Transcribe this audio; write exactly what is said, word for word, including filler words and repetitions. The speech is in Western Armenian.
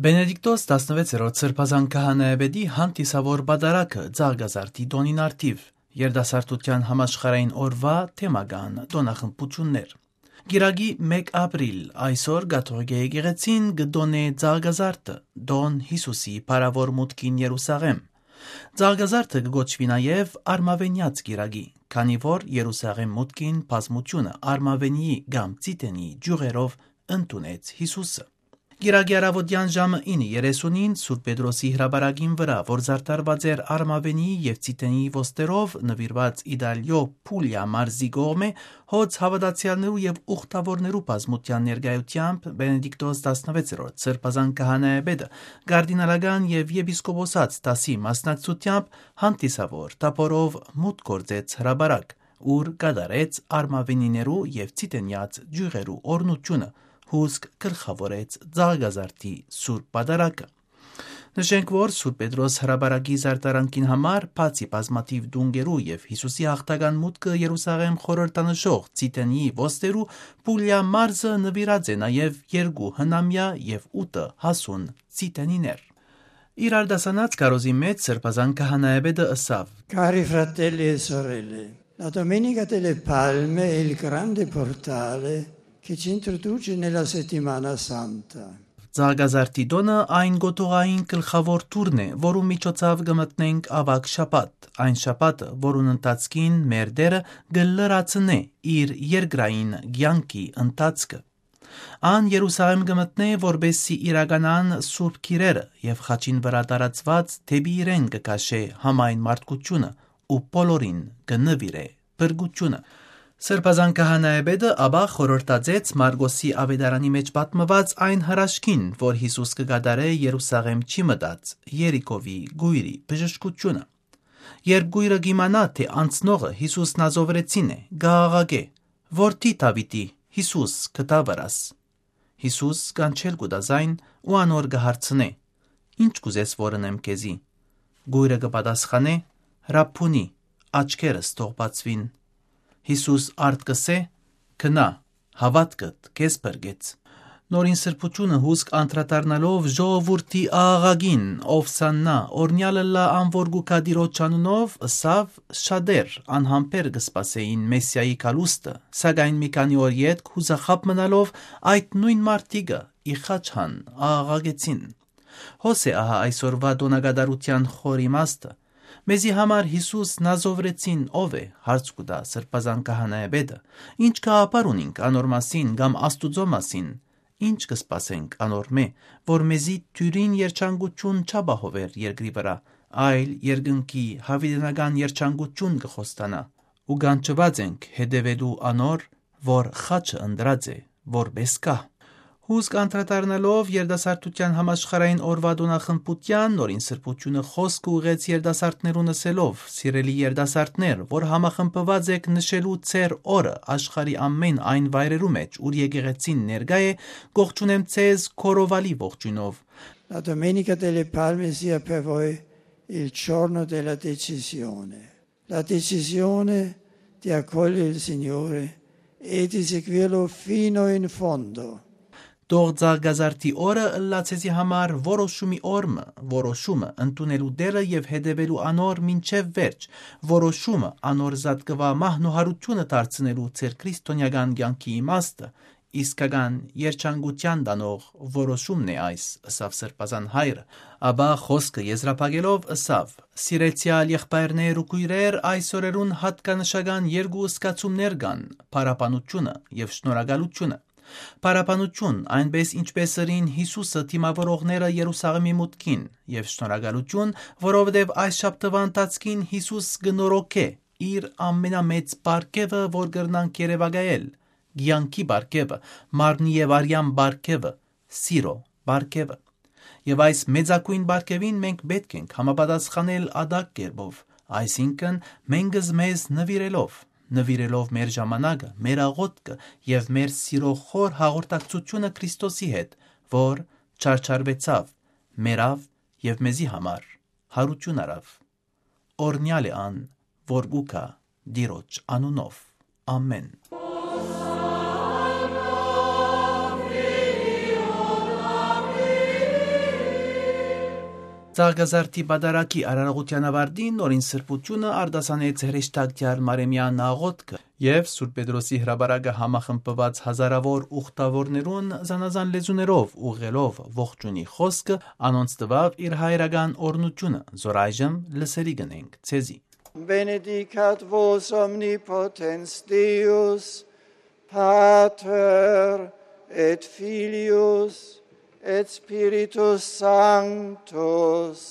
Բենեդիկտոս տասնվեցերորդ Սրբազան քահանայապետի հանդիսաւոր պատարագը Ծաղկազարդի տօնին առթիւ, երիտասարդութեան համաշխարհային օրուայ թեմական տօնախմբութիւններ։ Կիրակի մէկ ապրիլ, այսօր Կաթողիկէ եկեղեցին կը տօնէ Ծաղկազարդը, տօն Յիսուսի փառաւոր մուտքին Երուսաղէմ։ Ծաղկազարդը կը կոչուի նաեւ Արմաւենեաց կիրակի, քանի որ Երուսաղէմ մուտքին բազմութիւնը արմաւենիի կամ ծիտենի ճիւղերով ընդունեց Յիսուսը։ Կիրակի առաւօտեան ժամը ինը երեսունին Սուրբ Պետրոսի հրապարակին վրայ, որ զարդարուած էր արմաւենիի եւ ծիտենի ոստերով, նուիրուած Իտալիոյ Փուլիա մարզի կողմէ, հոծ հաւատացեալներու եւ ուխտաւորներու բազմութեան ներկայութեամբ Բենեդիկտոս տասնվեցերորդ Սրբազան քահանայապետը կարդինալական եւ եպիսկոպոսաց դասի մասնակցութեամբ հանդիսաւոր թափորով մուտք գործեց հրապարակ, ուր կատարեց արմաւենիներու եւ ծիտենեաց ճիւղերու օրհնութիւնը, հուսկ գլխաւորեց Ծաղկազարդի սուրբ պատարագը։ Նշենք, որ Սուրբ Պետրոս հրապարակի զարդարանքին համար, բացի բազմաթիւ տունկերու եւ Յիսուսի յաղթական մուտքը Երուսաղէմ խորհրդանշող ծիտենի ոստերու, Փուլիա մարզը նուիրած է նաեւ երկու հնամեայ եւ ութը հասուն ծիտենիներ։ Իր արտասանած քարոզի մէջ Սրբազան քահանայապետը ըսաւ. Cari fratelli e sorelle, la Domenica delle Palme è il grande portale che ci introduce nella settimana santa. Ծաղկազարդի տօնը այն գոթողային գլխաւոր դուռն է, որու միջոցաւ կը մտնենք աւագ շաբաթ, այն շաբաթը, որուն ընթացքին մեր Տէրը կը լրացնէ իր երկրային կեանքի ընթացքը։ Ան Երուսաղէմ կը մտնէ, որպէս զի իրականան սուրբ գիրերը եւ խաչին վրայ տարածուած դէպի իրեն կը քաշէ համայն մարդկութիւնը ու բոլորին կը նուիրէ փրկութիւնը։ Սրբազան քահանայապետը ապա խորհրդածեց Մարկոսի աւետարանի մէջ պատմուած այն հրաշքին, որ Յիսուս կը կատարէ Երուսաղէմ չի մտած, Երիքովի կոյրի բժշկութիւնը։ Երբ կոյրը կ'իմանայ, թէ անցնողը Յիսուս Նազովրեցին է, կ'աղաղակէ. «Որդի Դաւիթի, Յիսուս, գթա վրաս»։ Յիսուս կանչել կու տայ զայն ու անոր կը հարցնէ. «Ի՞նչ կ'ուզես որ ընեմ քեզի»։ Կոյրը կը պատասխանէ. «Ռաբբունի, աչքերս թող բացուին»։ Յիսուս արդ կ'ըսէ. «Գնա, հաւատքդ քեզ փրկեց»։ Նորին Սրբութիւնը հուսկ անդրադառնալով ժողովուրդի աղաղակին. «Ովսաննա, օրհնեալ ըլլայ ան որ կու գայ Տիրոջ անունով», ըսաւ. «Շատեր անհամբեր կը սպասէին Մեսիայի գալուստը, սակայն մի քանի օր ետք, յուզախաբ մնալով, այդ նոյն մարդիկը ի խաչ հան աղաղակեցին»։ Հոս է ահա այսօրուայ տօնակատարութեան խոր իմաստը։ Մեզի համար Յիսուս Նազովրեցին ո՞վ է, հարց կու տայ Սրբազան քահանայապետը։ Ի՞նչ գաղափար ունինք անոր մասին կամ Աստուծոյ մասին։ Ի՞նչ կը սպասենք անոր մէ, որ մեզի դիւրին երջանկութիւն չապահովեր երկրի վրայ, այլ երկնքի յաւիտենական երջանկութիւն կը խոստանայ, ու կանչուած ենք հետեւելու անոր, որ խաչը ընտրած է որպէս գահ։ Հուսկ անդրադառնալով երիտասարդութեան համաշխարհային օրուայ տօնախմբութեան, Նորին Սրբութիւնը խօսքը ուղղեց երիտասարդներուն ըսելով. «Սիրելի երիտասարդներ, որ համախմբուած էք նշելու ձեր օրը աշխարհի ամէն այն վայրերու մէջ, ուր եկեղեցին ներկայ է, կողջունեմ ձեզ քորովալի ողջոյնով»։ La Domenica delle Palme sia per voi il giorno della decisione, la decisione di accoglie il Signore e di seguirlo fino in fondo. Թող Ծաղկազարդի օրը ըլլայ ձեզի համար որոշումի օր մը, որոշումը ընդունելու Տէրը եւ հետեւելու անոր մինչեւ վերջ, որոշումը անոր զատկուայ մահն ու յարութիւնը դարձնելու ձեր քրիստոնեական կեանքի իմաստը, իսկական երջանկութեան տանող որոշումն է այս, ըսաւ Սրբազան հայրը։ Ապա խօսքը եզրափակելով ըսաւ. «Սիրեցեալ եղբայրներ ու քոյրեր, այս օրերուն յատկանշական երկու զգացումներ կան՝ փառաբանութիւնը եւ շնորհակալութիւնը։ Փառաբանութիւն, այնպէս ինչպէս ըրին Յիսուսը դիմաւորողները Երուսաղէմի մուտքին, եւ շնորհակալութիւն, որովհետեւ այս շաբթուայ ընթացքին Յիսուս կը նորոգէ իր ամենամեծ պարգեւը, որ կրնանք երեւակայել, կեանքի պարգեւը, մարմնի եւ արեան պարգեւը, սիրո պարգեւը։ Եւ այս մեծագոյն պարգեւին մենք պէտք ենք համապատասխանել ատակ կերպով, այսինքն՝ մենքս մեզ նուիրելով, նուիրելով մեր ժամանակը, մեր աղօթքը եւ մեր սիրո խոր հաղորդակցութիւնը Քրիստոսի հետ, որ չարչարուեցաւ, մեռաւ եւ մեզի համար յարութիւն առաւ։ Օրհնեալ է ան, որ կու գայ Տիրոջ անունով։ Ամէն։ Ծաղկազարդի պատարագի արարողութեան աւարտին Նորին Սրբութիւնը արտասանեց հրեշտակցեալ Մարեմեան աղօթքը եւ Սուրբ Պետրոսի հրապարակը համախմբուած հազարաւոր ուխտաւորներուն զանազան լեզուներով ուղղելով ողջունի խօսքը, անոնց տուաւ իր հայրական օրհնութիւնը, զոր այժմ լսելի կ'ընենք ձեզի։ Benedicat vos omnipotens Deus, Pater et Filius et Spiritus Sanctus.